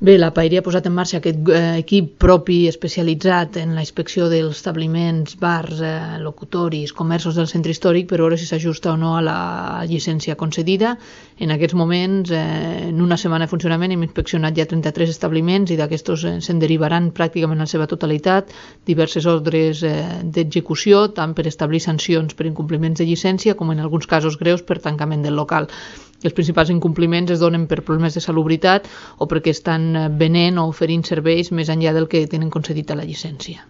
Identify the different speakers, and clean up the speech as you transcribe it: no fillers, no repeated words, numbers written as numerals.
Speaker 1: Bé, la Paeria ha posat en marxa aquest equip propi especialitzat en la inspecció dels establiments, bars, locutoris, comerços del centre històric per veure si s'ajusta o no a la llicència concedida. En aquests moments, en una setmana de funcionament, hem inspeccionat ja 33 establiments i d'aquestos se'n derivaran pràcticament en la seva totalitat diverses ordres d'execució, tant per establir sancions per incompliments de llicència com en alguns casos greus per tancament del local. Els principals incompliments es donen per problemes de salubritat o perquè estan venent o oferint serveis més enllà del que tenen concedit a la llicència.